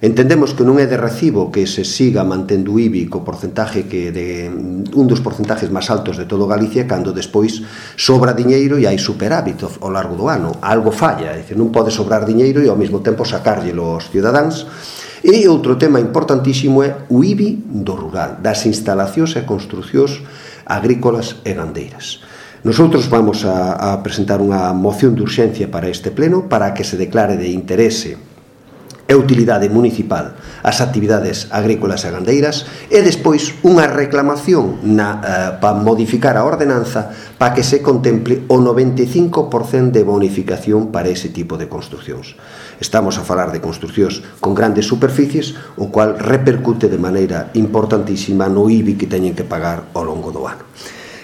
Entendemos que non é de recibo que se siga mantendo o IBI co porcentaje que de un dos porcentajes máis altos de todo Galicia, cando despois sobra diñeiro e hai superávit ao largo do ano. Algo falla, é dicir, non pode sobrar diñeiro e ao mesmo tempo sacárllelo aos cidadáns. E outro tema importantísimo é o IBI do rural, das instalacións e construcións agrícolas e gandeiras. Nosotros vamos a presentar unha moción de urxencia para este pleno para que se declare de interese e utilidade municipal as actividades agrícolas e gandeiras e despois unha reclamación para modificar a ordenanza para que se contemple o 95% de bonificación para ese tipo de construcións. Estamos a falar de construcións con grandes superficies, o cual repercute de maneira importantísima no IBI que teñen que pagar ao longo do ano.